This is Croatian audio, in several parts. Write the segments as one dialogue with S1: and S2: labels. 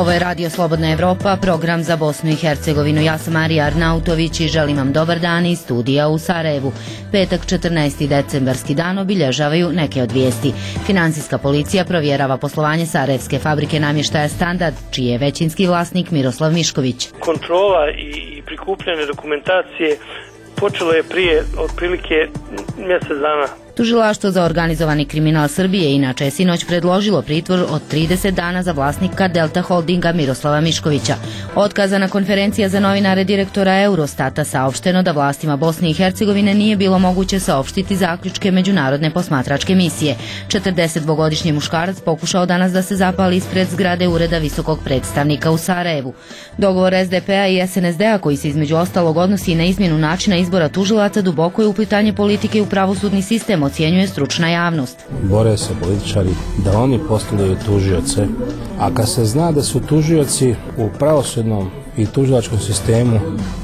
S1: Ovo je Radio Slobodna Evropa, program za Bosnu i Hercegovinu. Ja sam Marija Arnautović i želim vam dobar dan iz studija u Sarajevu. Petak 14. decembarski dan obilježavaju neke od vijesti. Finansijska policija provjerava poslovanje sarajevske fabrike namještaja Standard, čiji je većinski vlasnik Miroslav Mišković.
S2: Kontrola i prikupljanje dokumentacije počelo je prije otprilike mjesec dana.
S1: Tužilaštvo za organizovani kriminal Srbije inače je sinoć predložilo pritvor od 30 dana za vlasnika Delta Holdinga Miroslava Miškovića. Otkazana konferencija za novinare direktora Eurostata saopšteno da vlastima Bosne i Hercegovine nije bilo moguće saopštiti zaključke međunarodne posmatračke misije. 42-godišnji muškarac pokušao danas da se zapali ispred zgrade Ureda visokog predstavnika u Sarajevu. Dogovor SDP-a i SNSD-a, koji se između ostalog odnosi na izmjenu načina izbora tužilaca, duboko je uplitanje politike u pravosudni sistem, ocjenjuje stručna javnost.
S3: Bore se političari da oni postavljaju tužioce, a kad se zna da su tužioci u pravosudnom i tužilačkom sistemu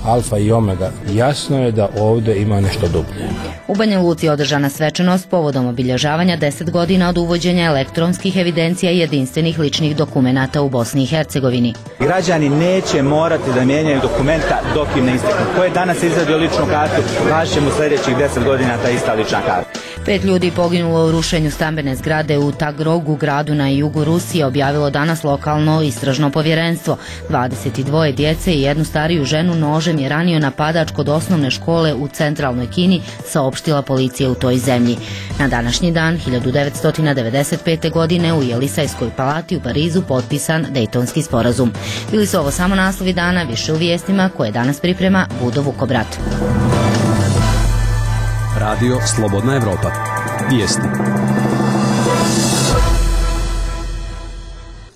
S3: alfa i omega, jasno je da ovdje ima nešto dublje.
S1: U Banja Luci je održana svečanost povodom obilježavanja 10 godina od uvođenja elektronskih evidencija i jedinstvenih ličnih dokumenata u Bosni i Hercegovini.
S4: Građani neće morati da mijenjaju dokumenta dok im ne isteknu. Ko je danas izvadio ličnu kartu, važit će mu sljedećih 10 godina ta ista lična karta.
S1: 5 ljudi poginulo u rušenju stambene zgrade u Tagrogu, gradu na jugu Rusije, objavilo danas lokalno istražno povjerenstvo. 22 djece i jednu stariju ženu nožem je ranio napadač kod osnovne škole u centralnoj Kini, saopštila policija u toj zemlji. Na današnji dan 1995. godine u Jelisajskoj palati u Parizu potpisan Dejtonski sporazum. Bili su ovo samo naslovi dana, više u vijestima koje danas priprema Budo Vukobrat.
S5: Radio Slobodna Evropa. Vijesti.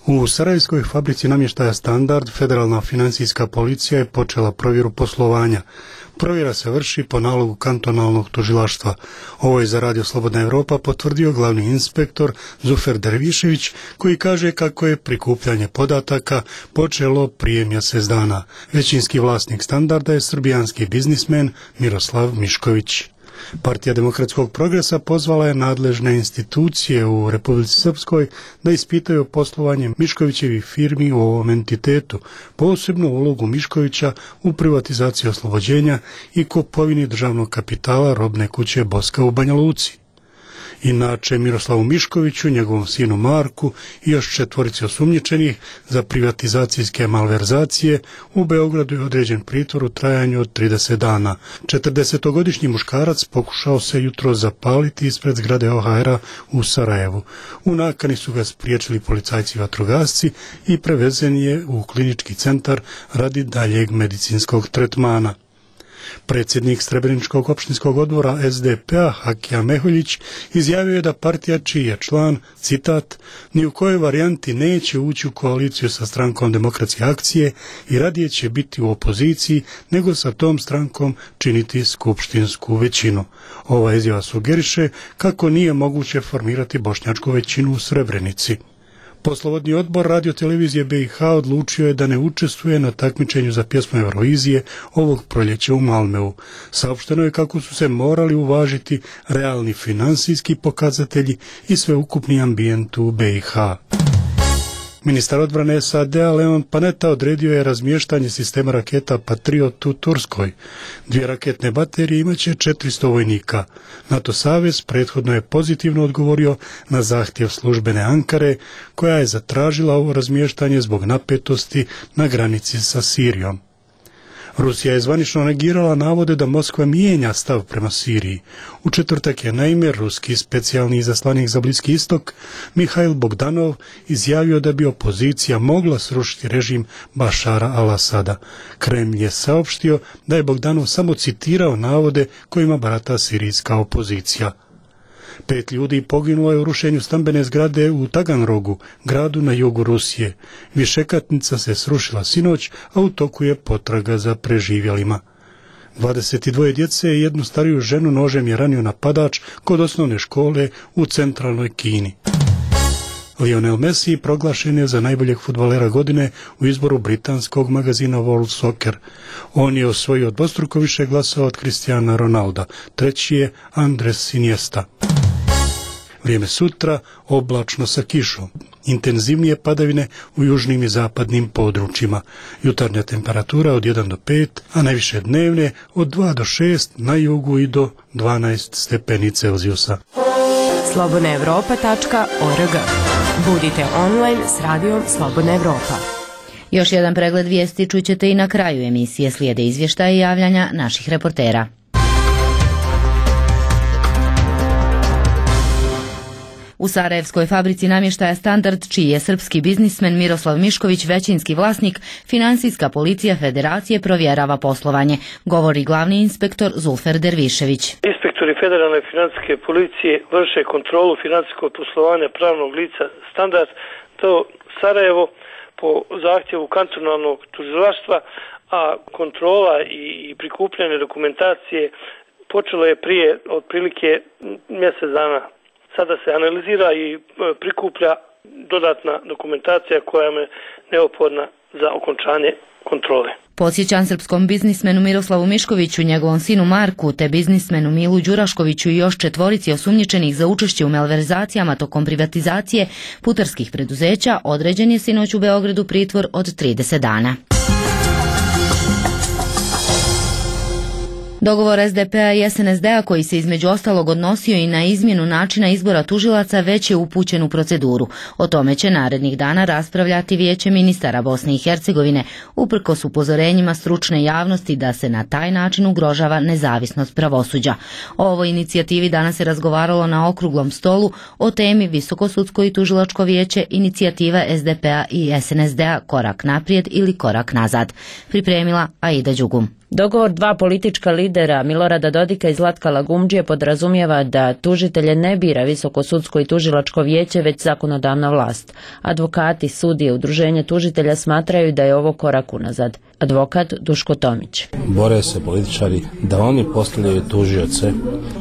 S6: U sarajevskoj fabrici namještaja Standard federalna financijska policija je počela provjeru poslovanja. Provjera se vrši po nalogu kantonalnog tužilaštva. Ovo je za Radio Slobodna Evropa potvrdio glavni inspektor Zufer Dervišević, koji kaže kako je prikupljanje podataka počelo prije mjesec dana. Većinski vlasnik Standarda je srbijanski biznismen Miroslav Mišković. Partija demokratskog progresa pozvala je nadležne institucije u Republici Srpskoj da ispitaju poslovanje Miškovićevih firmi u ovom entitetu, posebno ulogu Miškovića u privatizaciji oslobođenja i kupovini državnog kapitala robne kuće Boska u Banja Luci. Inače, Miroslavu Miškoviću, njegovom sinu Marku i još 4 osumnjičenih za privatizacijske malverzacije u Beogradu je određen pritvor u trajanju od 30 dana. 40-godišnji muškarac pokušao se jutro zapaliti ispred zgrade OHR-a u Sarajevu. U nakani su ga spriječili policajci vatrogasci i prevezen je u klinički centar radi daljeg medicinskog tretmana. Predsjednik Srebreničkog opštinskog odbora SDP-a Hakija Meholjić izjavio je da partija čiji je član, citat, ni u kojoj varijanti neće ući u koaliciju sa strankom Demokratske akcije i radije će biti u opoziciji nego sa tom strankom činiti skupštinsku većinu. Ova izjava sugeriše kako nije moguće formirati bošnjačku većinu u Srebrenici. Poslovodni odbor radiotelevizije BiH odlučio je da ne učestvuje na takmičenju za pjesmu Eurovizije ovog proljeća u Malmeu. Saopšteno je kako su se morali uvažiti realni finansijski pokazatelji i sveukupni ambijent u BiH. Ministar odbrane SAD-a Leon Panetta odredio je razmještanje sistema raketa Patriot u Turskoj. 2 raketne baterije imaće 400 vojnika. NATO savez prethodno je pozitivno odgovorio na zahtjev službene Ankare, koja je zatražila ovo razmještanje zbog napetosti na granici sa Sirijom. Rusija je zvanično negirala navode da Moskva mijenja stav prema Siriji. U četvrtak je naime ruski specijalni izaslanik za Bliski istok Mihail Bogdanov izjavio da bi opozicija mogla srušiti režim Bašara al-Asada. Kremlj je saopštio da je Bogdanov samo citirao navode kojima barata sirijska opozicija. 5 ljudi poginulo je u rušenju stambene zgrade u Taganrogu, gradu na jugu Rusije. Višekatnica se srušila sinoć, a u toku je potraga za preživjelima. 22 djece i jednu stariju ženu nožem je ranio napadač kod osnovne škole u centralnoj Kini. Lionel Messi proglašen je za najboljeg fudbalera godine u izboru britanskog magazina World Soccer. On je osvojio dvostruko više glasova od Cristiana Ronalda. Treći je Andres Iniesta. Vrijeme sutra oblačno sa kišom. Intenzivnije padavine u južnim i zapadnim područjima. Jutarnja temperatura od 1 do 5, a najviše dnevne od 2 do 6, na jugu i do 12 stepeni Celzijusa.
S7: slobodnaevropa.org. Budite online s radijom Slobodna Evropa.
S1: Još jedan pregled vijesti čućete i na kraju emisije. Slijede izvještaje i javljanja naših reportera. U sarajevskoj fabrici namještaja Standard, čiji je srpski biznismen Miroslav Mišković većinski vlasnik, finansijska policija Federacije provjerava poslovanje, govori glavni inspektor Zulfer Dervišević.
S2: Inspektori Federalne financijske policije vrše kontrolu financijskog poslovanja pravnog lica Standard, to Sarajevo, po zahtjevu kantonalnog tužilaštva, a kontrola i prikupljanje dokumentacije počelo je prije otprilike mjesec dana. Sada se analizira i prikuplja dodatna dokumentacija koja je neophodna za okončanje kontrole.
S1: Podsjećam srpskom biznismenu Miroslavu Miškoviću, njegovom sinu Marku, te biznismenu Milu Đuraškoviću i još 4 osumnjičenih za učešće u malverzacijama tokom privatizacije putarskih preduzeća određen je sinoć u Beogradu pritvor od 30 dana. Dogovor SDP-a i SNSD-a koji se između ostalog odnosio i na izmjenu načina izbora tužilaca već je upućen u proceduru. O tome će narednih dana raspravljati Vijeće ministara Bosne i Hercegovine, uprkos upozorenjima stručne javnosti da se na taj način ugrožava nezavisnost pravosuđa. O ovoj inicijativi danas se razgovaralo na okruglom stolu o temi Visoko sudsko i tužilačko vijeće, inicijativa SDP-a i SNSD-a korak naprijed ili korak nazad. Pripremila Aida Đugum.
S8: Dogovor dva politička lidera Milorada Dodika i Zlatka Lagumdžije podrazumijeva da tužitelje ne bira Visoko sudsko i tužilačko vijeće, već zakonodavna vlast. Advokati, sudije, udruženje tužitelja smatraju da je ovo korak unazad. Advokat Duško Tomić.
S3: Bore se političari da oni postavljaju tužioce,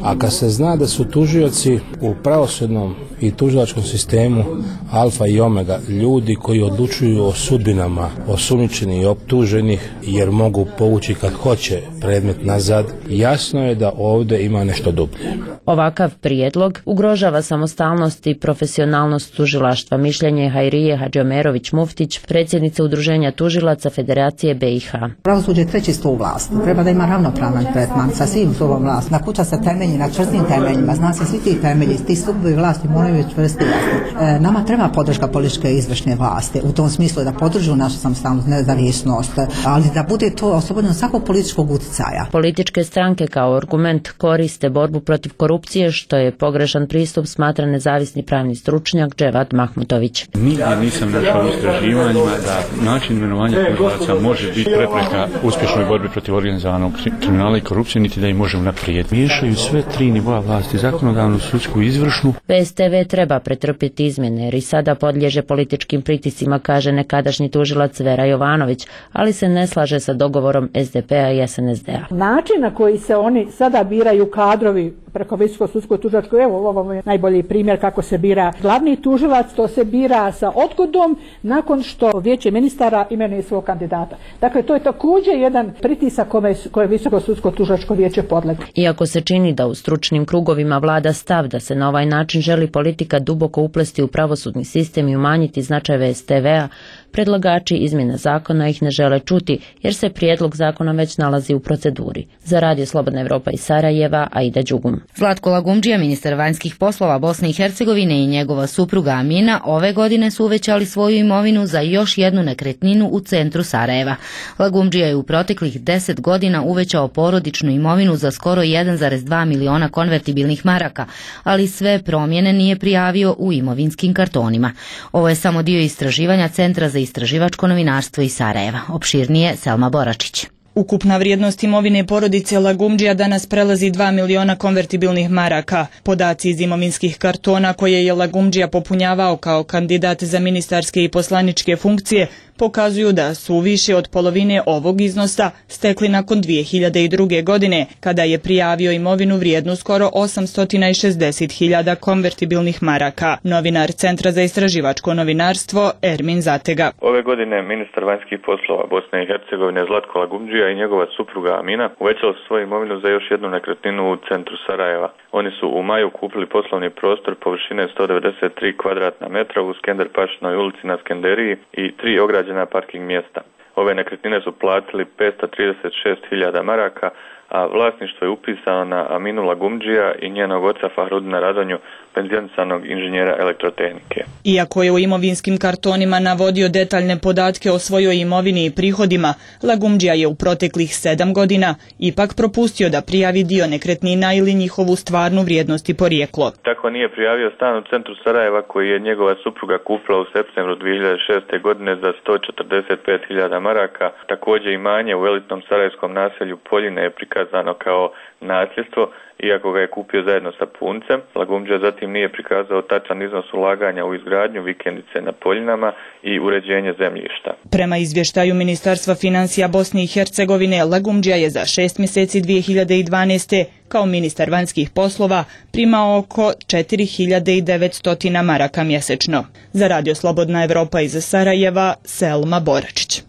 S3: a kad se zna da su tužioci u pravosudnom i tužilačkom sistemu alfa i omega, ljudi koji odlučuju o sudbinama osumnjičenih i optuženih jer mogu povući kad hoće predmet nazad, jasno je da ovdje ima nešto dublje.
S8: Ovakav prijedlog ugrožava samostalnost i profesionalnost tužilaštva, mišljenje Hajrije Hadžiomerović Muftić, predsjednice Udruženja tužilaca Federacije BiH.
S9: Pravosuđe je treći stup vlasti. Treba da ima ravnopravan tretman sa svim stupom vlasti. Na kuća se temelji na čvrstim temeljima. Zna se svi ti temelji, ti stupovi vlasti moraju biti čvrsti jasni. Nama treba podrška političke izvršne vlasti. U tom smislu da podržu našu samostalnost, nezavisnost, ali da bude to oslobodeno svakog političkog utjecaja.
S8: Političke stranke kao argument koriste borbu protiv korupcije, što je pogrešan pristup, smatra nezavisni pravni stručnjak Dževad Mahmutović.
S10: Nigdje nisam našao u istraživanjima da način imenovanja tužilaca može biti prepreka uspješnoj borbi protiv organizovanog kriminala i korupcije, niti da ih može unaprijed. Miješaju sve tri nivoa vlasti, zakonodavnu, sudsku i izvršnu.
S8: VSTV treba pretrpjeti izmjene jer i sada podliježe političkim pritiscima, kaže nekadašnji tužilac Vera Jovanović, ali se ne slaže sa dogovorom SDP-a i SNSD-a.
S11: Način na koji se oni sada biraju kadrovi preko Visokog sudskog tužilačkog, evo ovo je najbolji primjer kako se bira glavni tužilac, to se bira sa odgodom nakon što Vijeće ministara imenuje svog kandidata. Dakle, to je također jedan pritisak koje Visoko sudsko tužilačko vijeće podlegne.
S8: Iako se čini da u stručnim krugovima vlada stav da se na ovaj način želi politika duboko uplesti u pravosudni sistem i umanjiti značaj VSTV-a, predlagači izmjena zakona ih ne žele čuti jer se prijedlog zakona već nalazi u proceduri. Za Radio Slobodna Evropa iz Sarajeva, Aida Đugum.
S1: Zlatko Lagumdžija, ministar vanjskih poslova Bosne i Hercegovine, i njegova supruga Amina ove godine su uvećali svoju imovinu za još jednu nekretninu u centru Sarajeva. Lagumdžija je u proteklih 10 godina uvećao porodičnu imovinu za skoro 1,2 miliona konvertibilnih maraka, ali sve promjene nije prijavio u imovinskim kartonima. Ovo je samo dio istraživanja Centra za istraživačko novinarstvo iz Sarajeva. Opširnije Selma Boračić.
S12: Ukupna vrijednost imovine porodice Lagumdžija danas prelazi 2 miliona konvertibilnih maraka. Podaci iz imovinskih kartona koje je Lagumdžija popunjavao kao kandidat za ministarske i poslaničke funkcije pokazuju da su više od polovine ovog iznosa stekli nakon 2002. godine, kada je prijavio imovinu vrijednu skoro 860.000 konvertibilnih maraka. Novinar Centra za istraživačko novinarstvo Ermin Zatega.
S13: Ove godine ministar vanjskih poslova Bosne i Hercegovine Zlatko Lagumdžija i njegova supruga Amina uvećali su svoju imovinu za još jednu nekretninu u centru Sarajeva. Oni su u maju kupili poslovni prostor površine 193 kvadratna metra u Skender Pašinoj ulici na Skenderiji i 3 ograđena parking mjesta. Ove nekretnine su platili 536.000 maraka, a vlasništvo je upisano na Aminu Lagumdžija i njenog oca Fahrudina Radonju, penzionisanog inženjera elektrotehnike.
S12: Iako je u imovinskim kartonima navodio detaljne podatke o svojoj imovini i prihodima, Lagumdžija je u proteklih 7 godina ipak propustio da prijavi dio nekretnina ili njihovu stvarnu vrijednost i porijeklo.
S13: Tako nije prijavio stan u centru Sarajeva koji je njegova supruga kupila u septembru 2006. godine za 145.000 maraka. Također imanje u elitnom sarajevskom naselju Poljine je prikazano kao nasljedstvo, iako ga je kupio zajedno sa puncem. Lagumdžija zatim nije prikazao tačan iznos ulaganja u izgradnju vikendice na Poljinama i uređenje zemljišta.
S12: Prema izvještaju Ministarstva financija Bosne i Hercegovine, Lagumdžija je za 6 mjeseci 2012. kao ministar vanjskih poslova primao oko 4.900 maraka mjesečno. Za Radio Slobodna Evropa iz Sarajeva, Selma Boračić.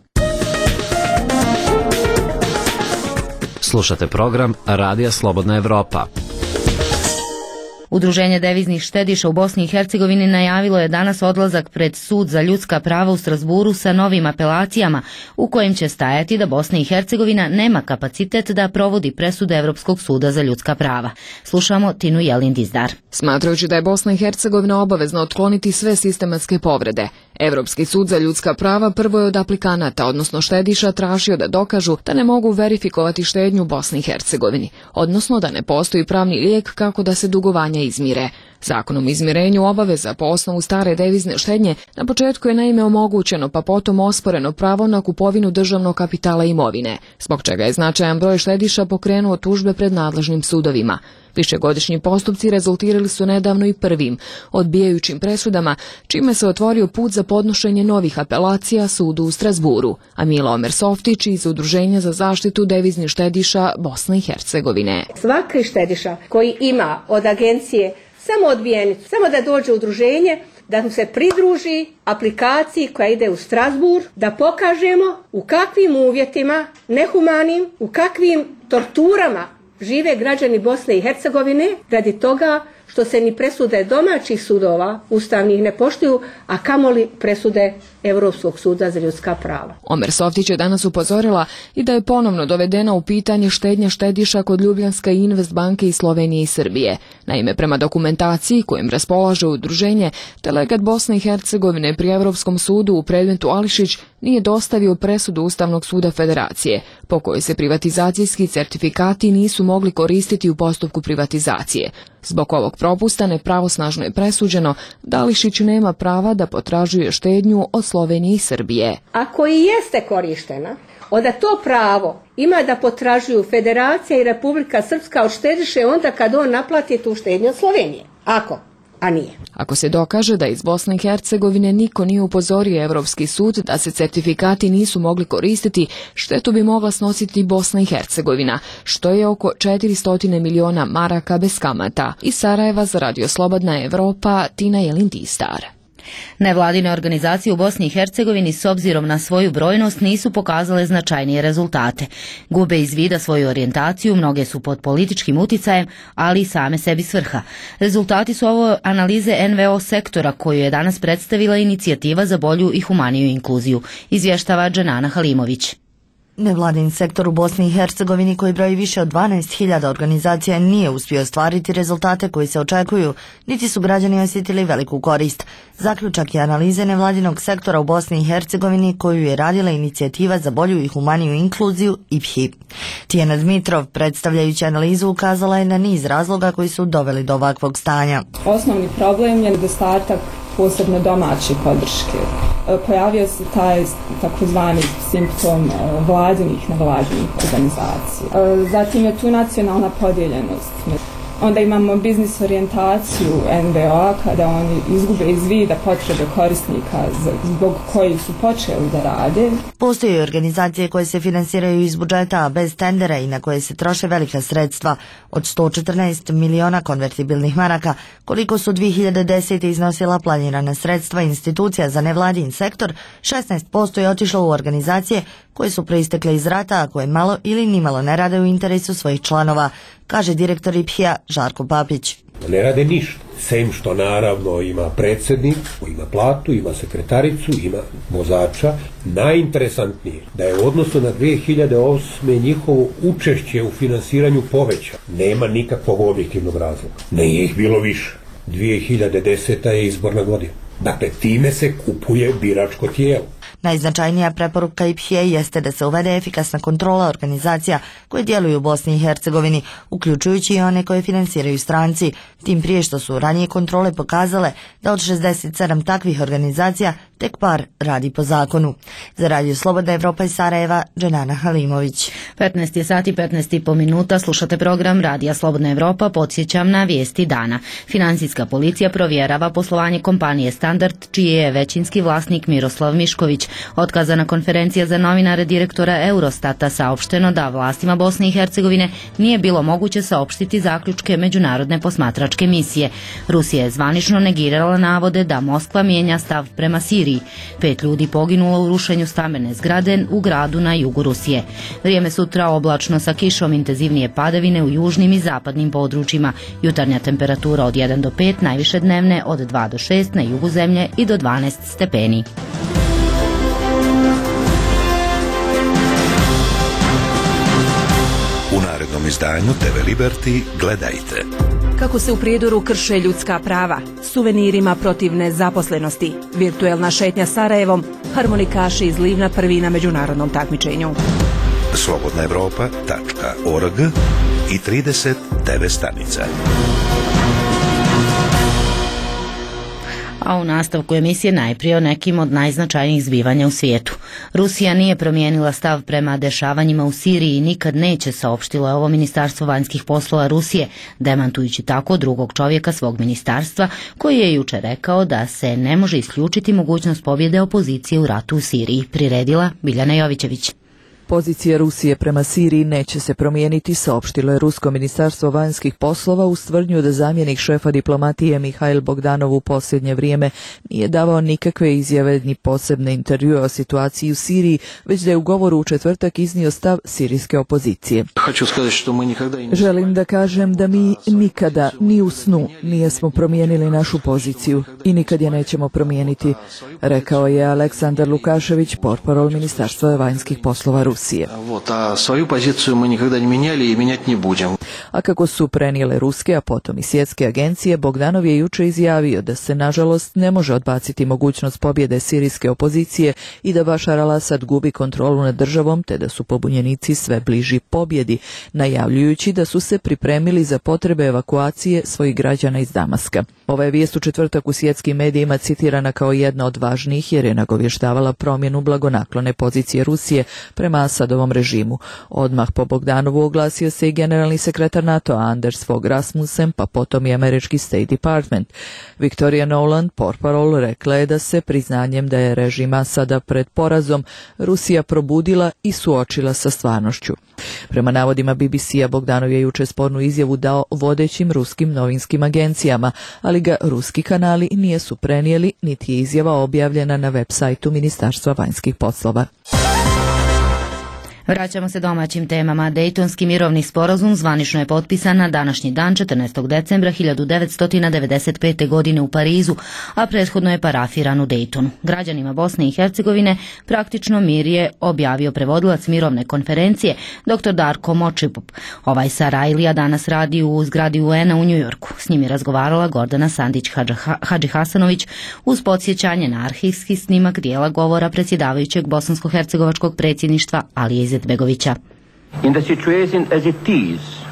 S14: Slušate program Radija Slobodna Evropa.
S1: Udruženje deviznih štediša u Bosni i Hercegovini najavilo je danas odlazak pred Sud za ljudska prava u Strasburu sa novim apelacijama u kojim će stajati da Bosna i Hercegovina nema kapacitet da provodi presude Evropskog suda za ljudska prava. Slušamo Tinu Jelin Dizdar.
S15: Smatrajući da je Bosna i Hercegovina obavezna otkloniti sve sistematske povrede, Evropski sud za ljudska prava prvo je od aplikanata, odnosno štediša, tražio da dokažu da ne mogu verifikovati štednju u Bosni i Hercegovini, odnosno da ne postoji pravni lijek kako da se dugovanja izmire. Zakonom o izmirenju obaveza po osnovu stare devizne štednje na početku je naime omogućeno, pa potom osporeno pravo na kupovinu državnog kapitala i imovine, zbog čega je značajan broj štediša pokrenuo tužbe pred nadležnim sudovima. Višegodišnji postupci rezultirali su nedavno i prvim, odbijajućim presudama, čime se otvorio put za podnošenje novih apelacija sudu u Strasburu, a Mila Omersoftić iz Udruženja za zaštitu deviznih štediša Bosne i Hercegovine.
S16: Svaki štediša koji ima od agencije samo odbijenicu, samo da dođe u udruženje, da mu se pridruži aplikaciji koja ide u Strasbur, da pokažemo u kakvim uvjetima, nehumanim, u kakvim torturama žive građani Bosne i Hercegovine radi toga što se ni presude domaćih sudova ustavnih ne poštuju, a kamoli presude Europskog suda za ljudska prava.
S15: Omersoftić je danas upozorila i da je ponovno dovedena u pitanje štednja štediša kod Ljubljanska i Invest banke iz Slovenije i Srbije. Naime, prema dokumentaciji kojim raspolaže udruženje, delegat Bosne i Hercegovine pri Europskom sudu u predmetu Ališić nije dostavio presudu Ustavnog suda Federacije, po kojoj se privatizacijski certifikati nisu mogli koristiti u postupku privatizacije. Zbog ovog propusta nepravosnažno je presuđeno da Ališić nema prava da potražuje štednju od Slovenije i Srbije.
S16: Ako i jeste korištena, onda to pravo ima da potražuju Federacija i Republika Srpska od štediše onda kad on naplati tu štednju od Slovenije. A nije.
S15: Ako se dokaže da iz Bosne i Hercegovine niko nije upozorio Evropski sud da se certifikati nisu mogli koristiti, štetu bi mogla snositi Bosna i Hercegovina, što je oko 400 miliona maraka bez kamata. Iz Sarajeva za Radio Slobodna Evropa, Tina Jelin Dizdar.
S1: Nevladine organizacije u Bosni i Hercegovini s obzirom na svoju brojnost nisu pokazale značajnije rezultate. Gube iz vida svoju orijentaciju, mnoge su pod političkim uticajem, ali i same sebi svrha. Rezultati su ovo analize NVO sektora koju je danas predstavila inicijativa za bolju i humaniju inkluziju, izvještava Dženana Halimović.
S17: Nevladin sektor u Bosni i Hercegovini koji broji više od 12.000 organizacija nije uspio ostvariti rezultate koji se očekuju, niti su građani osjetili veliku korist. Zaključak je analize nevladinog sektora u Bosni i Hercegovini koju je radila inicijativa za bolju i humaniju inkluziju IPHI. Tijena Dmitrov, predstavljajući analizu, ukazala je na niz razloga koji su doveli do ovakvog stanja.
S18: Osnovni problem je nedostatak posebno domaće podrške. Pojavio se taj takozvani simptom vladinih nevladinih organizacija. Zatim je tu nacionalna podijeljenost. Onda imamo biznis orijentaciju NVO-a kada oni izgube iz vida potrebe korisnika zbog kojih su počeli da rade.
S17: Postoje organizacije koje se finansiraju iz budžeta bez tendera i na koje se troše velika sredstva od 114 miliona konvertibilnih maraka, koliko su 2010. iznosila planirana sredstva institucija za nevladin sektor, 16% je otišlo u organizacije koje su proistekle iz rata, a koje malo ili nimalo ne rade u interesu svojih članova, kaže direktor IPH-a Žarko Papić.
S19: Ne rade ništa, sem što naravno ima predsjednik, ima platu, ima sekretaricu, ima vozača. Najinteresantnije da je u odnosu na 2008. njihovo učešće u finansiranju poveća. Nema nikakvog objektivnog razloga. Nije ih bilo više. 2010. je izborna godina. Dakle, time se kupuje biračko tijelo.
S17: Najznačajnija preporuka IPH-a jeste da se uvede efikasna kontrola organizacija koje djeluju u Bosni i Hercegovini, uključujući i one koje finansiraju stranci, tim prije što su ranije kontrole pokazale da od 67 takvih organizacija tek par radi po zakonu. Za Radio Slobodna Evropa iz Sarajeva, Dženana Halimović.
S1: 15 je sati 15,5 minuta, slušate program Radija Slobodna Evropa, podsjećam na vijesti dana. Finansijska policija provjerava poslovanje kompanije Standard, čiji je većinski vlasnik Miroslav Mišković. Otkazana konferencija za novinare direktora Eurostata saopšteno da vlastima Bosne i Hercegovine nije bilo moguće saopštiti zaključke međunarodne posmatračke misije. Rusija je zvanično negirala navode da Moskva mijenja stav prema Siriji. 5 ljudi poginulo u rušenju stambene zgrade u gradu na jugu Rusije. Vrijeme sutra oblačno sa kišom, intenzivnije padavine u južnim i zapadnim područjima. Jutarnja temperatura od 1 do 5, najviše dnevne od 2 do 6 na jugu zemlje i do 12 stepeni.
S20: U narednom izdanju TV Liberty gledajte.
S21: Kako se u Prijedoru krše ljudska prava, suvenirima protiv nezaposlenosti, virtuelna šetnja Sarajevom, harmonikaši iz Livna prvi na međunarodnom takmičenju.
S20: slobodnaevropa.org i 30 TV stanica.
S1: A u nastavku emisije najprije o nekim od najznačajnijih zbivanja u svijetu. Rusija nije promijenila stav prema dešavanjima u Siriji i nikad neće, saopštilo je ovo Ministarstvo vanjskih poslova Rusije, demantujući tako drugog čovjeka svog ministarstva, koji je jučer rekao da se ne može isključiti mogućnost pobjede opozicije u ratu u Siriji, priredila Biljana Jovićević.
S22: Pozicija Rusije prema Siriji neće se promijeniti, saopštilo je Rusko ministarstvo vanjskih poslova uz tvrdnju da zamjenik šefa diplomatije Mihail Bogdanov u posljednje vrijeme nije davao nikakve izjave ni posebne intervjue o situaciji u Siriji, već da je u govoru u četvrtak iznio stav sirijske opozicije. Želim da kažem da mi nikada, ni u snu, nijesmo promijenili našu poziciju i nikad je nećemo promijeniti, rekao je Aleksandar Lukašević, portparol ministarstva vanjskih poslova Rusije. A kako su prenijele ruske, a potom i svjetske agencije, Bogdanov je jučer izjavio da se nažalost ne može odbaciti mogućnost pobjede sirijske opozicije i da Bašar al-Asad gubi kontrolu nad državom, te da su pobunjenici sve bliži pobjedi, najavljujući da su se pripremili za potrebe evakuacije svojih građana iz Damaska. Ova je vijest u četvrtak u svjetskim medijima citirana kao jedna od važnijih jer je nagovještavala promjenu blagonaklone pozicije Rusije prema Asadovom režimu. Odmah po Bogdanovu oglasio se i generalni sekretar NATO Anders Fogh Rasmussen, pa potom i američki State Department. Victoria Nuland, portparol, rekla je da se priznanjem da je režim Asada pred porazom Rusija probudila i suočila sa stvarnošću. Prema navodima BBC-a, Bogdanov je jučer spornu izjavu dao vodećim ruskim novinskim agencijama, ali ga ruski kanali nisu prenijeli, niti je izjava objavljena na web sajtu Ministarstva vanjskih poslova.
S1: Vraćamo se domaćim temama. Dejtonski mirovni sporazum zvanično je potpisan na današnji dan 14. decembra 1995. godine u Parizu, a prethodno je parafiran u Dejtonu. Građanima Bosne i Hercegovine praktično mir je objavio prevodilac mirovne konferencije dr. Darko Močipup. Ovaj Sarajlija danas radi u zgradi UN-a u Njujorku. S njim je razgovarala Gordana Sandić-Hadžihasanović uz podsjećanje na arhivski snimak dijela govora predsjedavajućeg bosansko-hercegovačkog predsjedništva Alije Izetbegovića.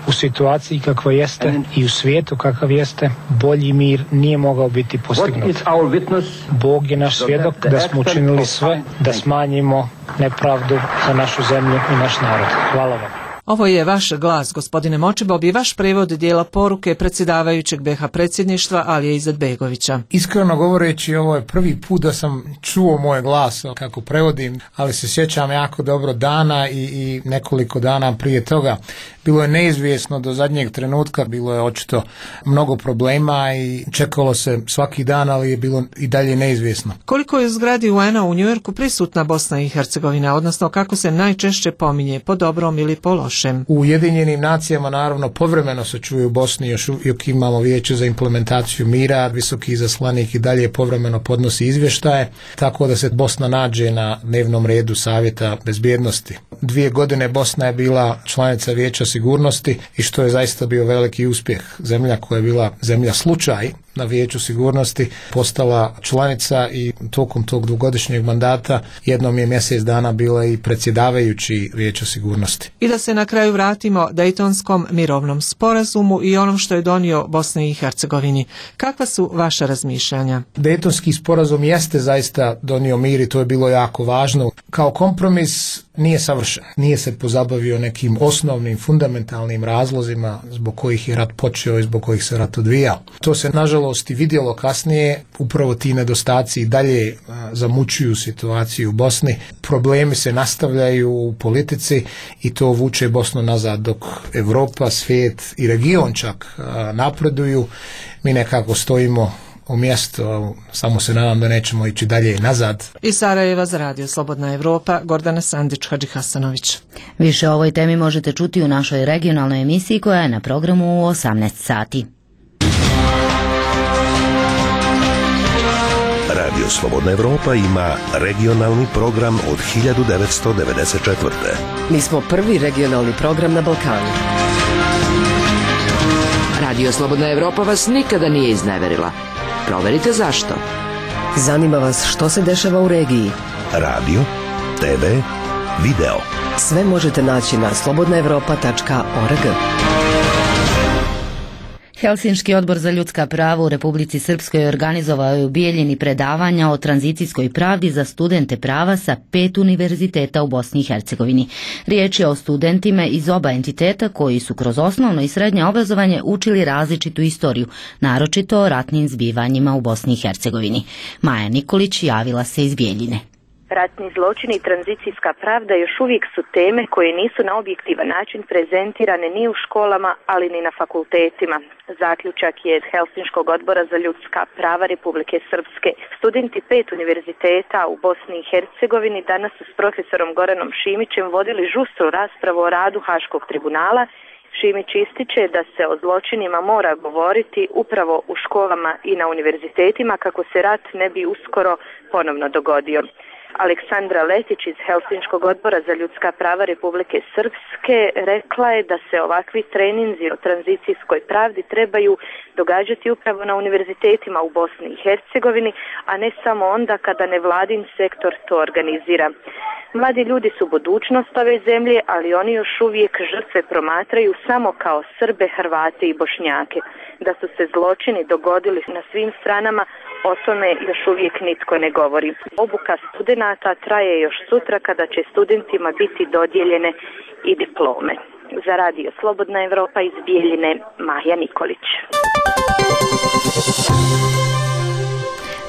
S23: U situaciji kakva jeste i u svijetu kakav jeste, bolji mir nije mogao biti postignut. Bog je naš svjedok da smo učinili sve da smanjimo nepravdu za našu zemlju i naš narod. Hvala vam.
S4: Ovo je vaš glas, gospodine Močibob, i vaš prevod dijela poruke predsjedavajućeg BiH predsjedništva Alije Izetbegovića.
S23: Iskreno govoreći, ovo je prvi put da sam čuo moj glas kako prevodim, ali se sjećam jako dobro dana i nekoliko dana prije toga. Bilo je neizvjesno do zadnjeg trenutka, bilo je očito mnogo problema i čekalo se svaki dan, ali je bilo i dalje neizvjesno.
S4: Koliko je u zgradi UN-a u Njujorku prisutna Bosna i Hercegovina, odnosno kako se najčešće pominje, po dobrom ili po lošem?
S23: U Ujedinjenim nacijama naravno povremeno se čuje u Bosni, još uvijek imamo vijeće za implementaciju mira, visoki izaslanik i dalje povremeno podnosi izvještaje, tako da se Bosna nađe na dnevnom redu Savjeta bezbjednosti. 2 godine Bosna je bila članica Vijeća sigurnosti i što je zaista bio veliki uspjeh. Zemlja koja je bila zemlja slučaj na Vijeću sigurnosti postala članica i tokom tog 2-godišnjeg mandata jednom je mjesec dana bila i predsjedavajući Vijeća sigurnosti.
S4: I da se na kraju vratimo Dejtonskom mirovnom sporazumu i onom što je donio Bosni i Hercegovini. Kakva su vaša razmišljanja?
S23: Dejtonski sporazum jeste zaista donio mir i to je bilo jako važno. Kao kompromis nije savršen. Nije se pozabavio nekim osnovnim, fundamentalnim razlozima zbog kojih je rat počeo i zbog kojih se rat odvijao. To se nažalost i vidjelo kasnije, upravo ti nedostaci dalje zamučuju situaciju u Bosni. Problemi se nastavljaju u politici i to vuče Bosnu nazad, dok Europa, svijet i region čak napreduju. Mi nekako stojimo u mjestu, samo se nadam da nećemo ići dalje nazad.
S4: Iz Sarajeva za Radio Slobodna Evropa, Gordana Sandić, Hadži Hasanović.
S1: Više o ovoj temi možete čuti u našoj regionalnoj emisiji koja je na programu u 18 sati.
S20: Radio Slobodna Evropa ima regionalni program od 1994.
S5: Mi smo prvi regionalni program na Balkanu. Radio Slobodna Evropa vas nikada nije izneverila. Proverite zašto. Zanima vas što se dešava u regiji.
S20: Radio, TV, video.
S5: Sve možete naći na slobodnaevropa.org.
S1: Helsinški odbor za ljudska prava u Republici Srpskoj organizovao je u Bijeljini predavanja o tranzicijskoj pravdi za studente prava sa 5 univerziteta u Bosni i Hercegovini. Riječ je o studentima iz oba entiteta koji su kroz osnovno i srednje obrazovanje učili različitu istoriju, naročito o ratnim zbivanjima u Bosni i Hercegovini. Maja Nikolić javila se iz Bijeljine.
S6: Ratni zločini i tranzicijska pravda još uvijek su teme koje nisu na objektivan način prezentirane ni u školama, ali ni na fakultetima. Zaključak je iz Helsinškog odbora za ljudska prava Republike Srpske. Studenti 5 univerziteta u Bosni i Hercegovini danas su s profesorom Goranom Šimićem vodili žustru raspravu o radu Haškog tribunala. Šimić ističe da se o zločinima mora govoriti upravo u školama i na univerzitetima kako se rat ne bi uskoro ponovno dogodio. Aleksandra Letić iz Helsinškog odbora za ljudska prava Republike Srpske rekla je da se ovakvi treninzi o tranzicijskoj pravdi trebaju događati upravo na univerzitetima u Bosni i Hercegovini, a ne samo onda kada nevladin sektor to organizira. Mladi ljudi su budućnost ove zemlje, ali oni još uvijek žrtve promatraju samo kao Srbe, Hrvate i Bošnjake. Da su se zločini dogodili na svim stranama, o tome još uvijek nitko ne govori. Obuka studenata traje još sutra kada će studentima biti dodijeljene i diplome. Za Radio Slobodna Evropa iz Bijeljine, Maja Nikolić.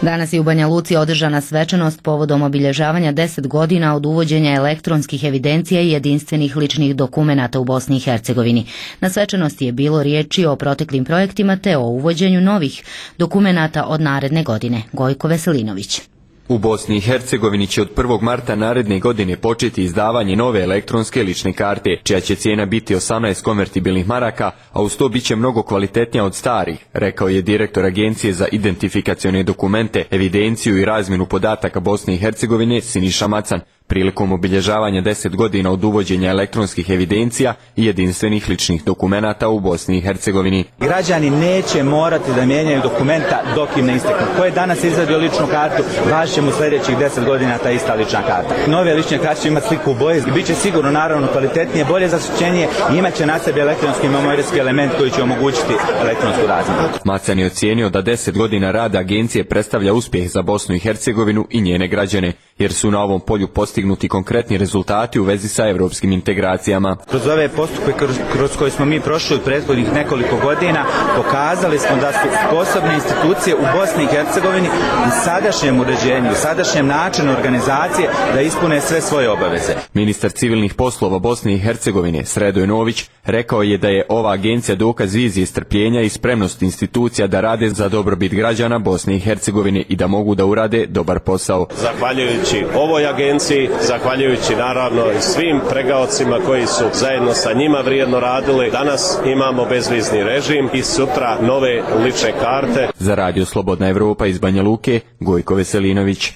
S1: Danas je u Banja Luci održana svečanost povodom obilježavanja 10 godina od uvođenja elektronskih evidencija i jedinstvenih ličnih dokumenata u Bosni i Hercegovini. Na svečanosti je bilo riječi o proteklim projektima te o uvođenju novih dokumenata od naredne godine. Gojko Veselinović.
S24: U Bosni i Hercegovini će od 1. marta naredne godine početi izdavanje nove elektronske lične karte, čija će cijena biti 18 konvertibilnih maraka, a uz to bit će mnogo kvalitetnija od starih, rekao je direktor Agencije za identifikacione dokumente, evidenciju i razmjenu podataka Bosne i Hercegovine Siniša Macan, prilikom obilježavanja 10 godina od uvođenja elektronskih evidencija i jedinstvenih ličnih dokumenata u Bosni i Hercegovini.
S25: Građani neće morati da mijenjaju dokumenta dok im ne isteknu. Ko je danas izvadio ličnu kartu, važit će mu sljedećih 10 godina ta ista lična karta. Nove lične karte će imati sliku u boji, bit će sigurno naravno kvalitetnije, bolje zaštićenije i imat će na sebi elektronski memorijski element koji će omogućiti elektronsku razmjenu.
S24: Macan je ocijenio da 10 godina rada agencije predstavlja uspjeh za Bosnu i Hercegovinu i njene građane, jer su na ovom polju postigli postignuti konkretni rezultati u vezi sa evropskim integracijama.
S25: Kroz ove postupke kroz koje smo mi prošli od prethodnih nekoliko godina pokazali smo da su sposobne institucije u Bosni i Hercegovini u sadašnjem uređenju, u sadašnjem načinu organizacije da ispune sve svoje obaveze.
S24: Ministar civilnih poslova Bosne i Hercegovine Sredoje Nović rekao je da je ova agencija dokaz vizije strpljenja i spremnosti institucija da rade za dobrobit građana Bosne i Hercegovine i da mogu da urade dobar posao.
S2: Zahvaljujući ovoj agenciji, zahvaljujući naravno i svim pregaocima koji su zajedno sa njima vrijedno radili, danas imamo bezvizni režim i sutra nove lične karte.
S24: Za Radio Slobodna Evropa iz Banja Luke, Gojko Veselinović.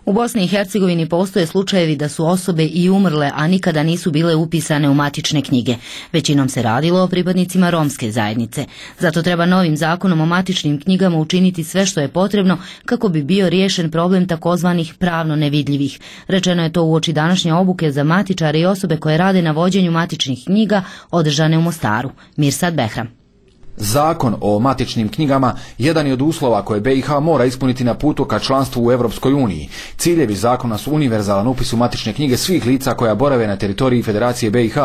S1: U Bosni i Hercegovini postoje slučajevi da su osobe i umrle, a nikada nisu bile upisane u matične knjige. Većinom se radilo o pripadnicima romske zajednice. Zato treba novim zakonom o matičnim knjigama učiniti sve što je potrebno kako bi bio riješen problem takozvanih pravno nevidljivih. Rečeno je to uoči današnje obuke za matičare i osobe koje rade na vođenju matičnih knjiga održane u Mostaru. Mirsad Behram.
S3: Zakon o matičnim knjigama jedan je od uslova koje BiH mora ispuniti na putu ka članstvu u Europskoj uniji. Ciljevi zakona su univerzalan upis u matične knjige svih lica koja borave na teritoriji Federacije BiH,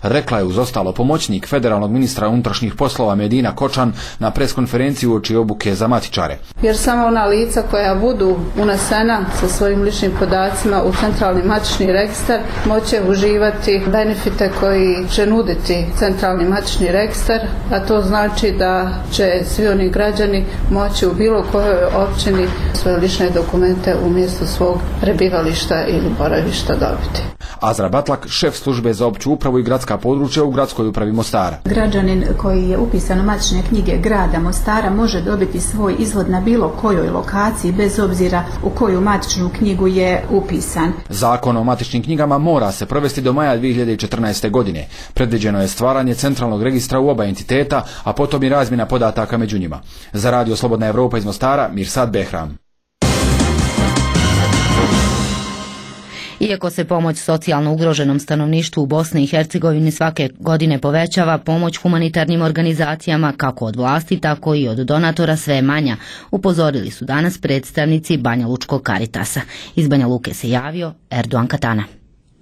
S3: rekla je uz ostalo pomoćnik federalnog ministra unutrašnjih poslova Medina Kočan na preskonferenciji uoči obuke za matičare.
S7: Jer samo ona lica koja budu unesena sa svojim ličnim podacima u centralni matični registar moće uživati benefite koji će nuditi centralni matični registar, a to znači da će svi oni građani moći u bilo kojoj općini svoje lične dokumente umjesto svog prebivališta ili boravišta dobiti.
S3: Azra Batlak, šef službe za opću upravu i gradska područja u gradskoj upravi Mostara.
S9: Građanin koji je upisan u matične knjige grada Mostara može dobiti svoj izvod na bilo kojoj lokaciji bez obzira u koju matičnu knjigu je upisan.
S3: Zakon o matičnim knjigama mora se provesti do maja 2014. godine. Predviđeno je stvaranje centralnog registra u oba entiteta, a potom i razmjena podataka među njima. Za Radio Slobodna Evropa iz Mostara, Mirsad Behram.
S1: Iako se pomoć socijalno ugroženom stanovništvu u Bosni i Hercegovini svake godine povećava, pomoć humanitarnim organizacijama kako od vlasti, tako i od donatora sve je manja, upozorili su danas predstavnici Banja Lučkog Karitasa. Iz Banja Luke se javio Erdogan Katana.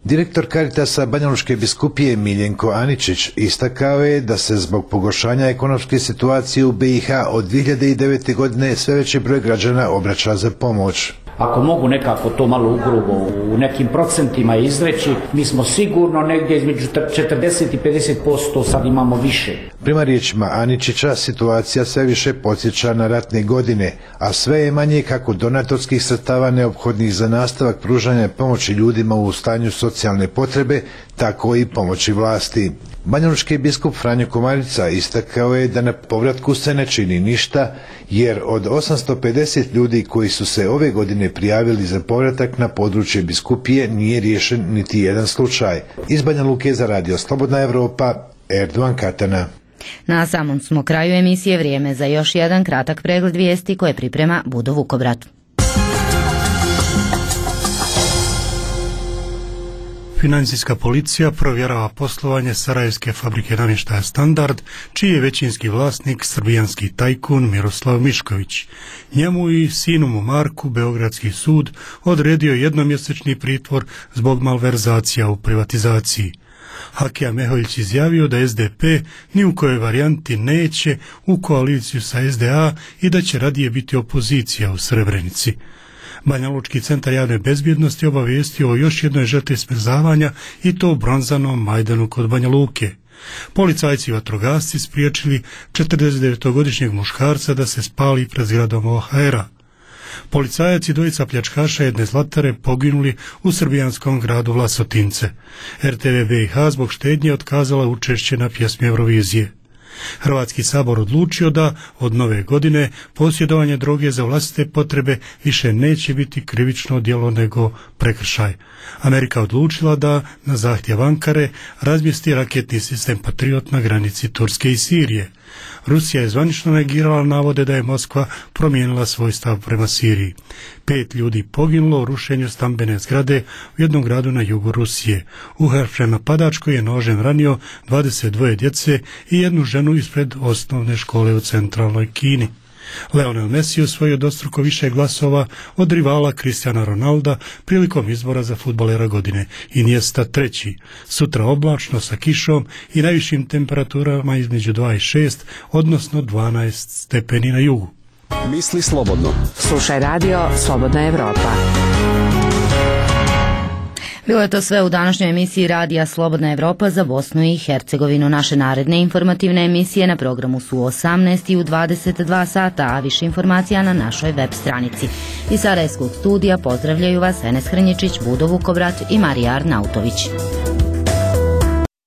S10: Direktor Karitasa Banja Lučke biskupije Miljenko Aničić istakao je da se zbog pogoršanja ekonomske situacije u BiH od 2009. godine sve veći broj građana obraća za pomoć.
S26: Ako mogu nekako to malo ugrubo u nekim procentima izreći, mi smo sigurno negdje između 40 i 50% sad imamo više.
S10: Prema riječima Aničića, situacija sve više podsjeća na ratne godine, a sve je manje kako donatorskih sredstava neophodnih za nastavak pružanja pomoći ljudima u stanju socijalne potrebe, tako i pomoći vlasti. Banjalučki biskup Franjo Komarica istakao je da na povratku se ne čini ništa, jer od 850 ljudi koji su se ove godine prijavili za povratak na područje biskupije nije riješen niti jedan slučaj. Iz Banja Luke za Radio Slobodna Evropa, Erdogan Katana.
S1: Na samom smo kraju emisije, vrijeme za još jedan kratak pregled vijesti koje priprema Budo Vukobrat.
S27: Financijska policija provjerava poslovanje sarajevske fabrike namještaja Standard, čiji je većinski vlasnik srbijanski tajkun Miroslav Mišković. Njemu i sinu mu Marku Beogradski sud odredio jednomjesečni pritvor zbog malverzacija u privatizaciji. Hakija Meholjić izjavio da SDP ni u kojoj varijanti neće u koaliciju sa SDA i da će radije biti opozicija u Srebrenici. Banja Lučki centar javne bezbjednosti obavijestio o još jednoj žrtvi smrzavanja i to u Bronzanom Majdanu kod Banja Luke. Policajci i vatrogasci spriječili 49-godišnjeg muškarca da se spali pred zgradom OHR-a. Policajac i dvojica pljačkaša jedne zlatare poginuli u srbijanskom gradu Vlasotince. RTV BiH zbog štednje otkazala učešće na pjesmi Eurovizije. Hrvatski sabor odlučio da od nove godine posjedovanje droge za vlastite potrebe više neće biti krivično djelo nego prekršaj. Amerika odlučila da na zahtjev Ankare razmjesti raketni sistem Patriot na granici Turske i Sirije. Rusija je zvanično negirala navode da je Moskva promijenila svoj stav prema Siriji. 5 ljudi poginulo u rušenju stambene zgrade u jednom gradu na jugu Rusije. Uhapšen napadač koji je nožem ranio 22 djece i jednu ženu ispred osnovne škole u centralnoj Kini. Lionel Messi osvojio dvostruko više glasova od rivala Cristiana Ronalda prilikom izbora za fudbalera godine. Iniesta treći. Sutra oblačno sa kišom i najvišim temperaturama između 2 i 6, odnosno 12 stepeni na jugu.
S8: Misli slobodno.
S5: Slušaj radio Slobodna Evropa.
S1: Bilo je to sve u današnjoj emisiji Radija Slobodna Evropa za Bosnu i Hercegovinu. Naše naredne informativne emisije na programu su u 18 i u 22 sata, a više informacija na našoj web stranici. Iz Sarajevskog studija pozdravljaju vas Enes Hrnjičić, Budo Vukovrat i Marija Arnautović.